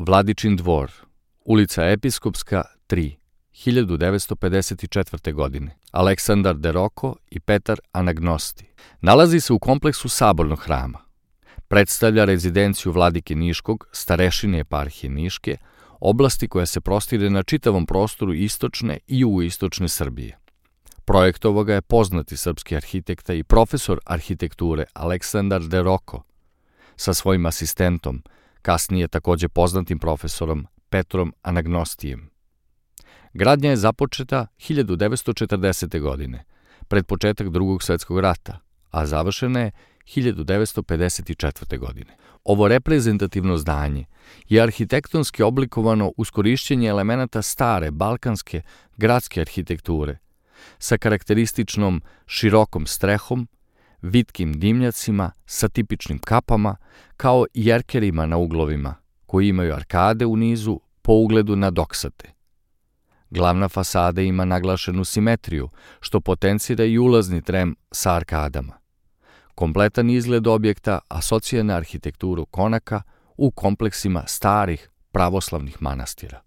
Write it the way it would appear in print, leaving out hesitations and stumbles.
Vladičin dvor, ulica Episkopska 3, 1954. godine. Aleksandar de Roko i Petar Anagnosti. Nalazi se u kompleksu Sabornog hrama. Predstavlja rezidenciju vladike Niškog, starešine eparhije Niške, oblasti koja se prostire na čitavom prostoru istočne i jugoistočne Srbije. Projektovao ga je poznati srpski arhitekta i profesor arhitekture Aleksandar de Roko sa svojim asistentom, kasnije takođe poznatim profesorom Petrom Anagnostijem. Gradnja je započeta 1940. godine, pred početak Drugog svetskog rata, a završena je 1954. godine. Ovo reprezentativno zdanje je arhitektonski oblikovano uz korišćenje elemenata stare balkanske gradske arhitekture sa karakterističnom širokom strehom, vitkim dimnjacima sa tipičnim kapama, kao i jerkerima na uglovima, koji imaju arkade u nizu po ugledu na doksate. Glavna fasada ima naglašenu simetriju, što potencira i ulazni trem sa arkadama. Kompletan izgled objekta asocira na arhitekturu konaka u kompleksima starih pravoslavnih manastira.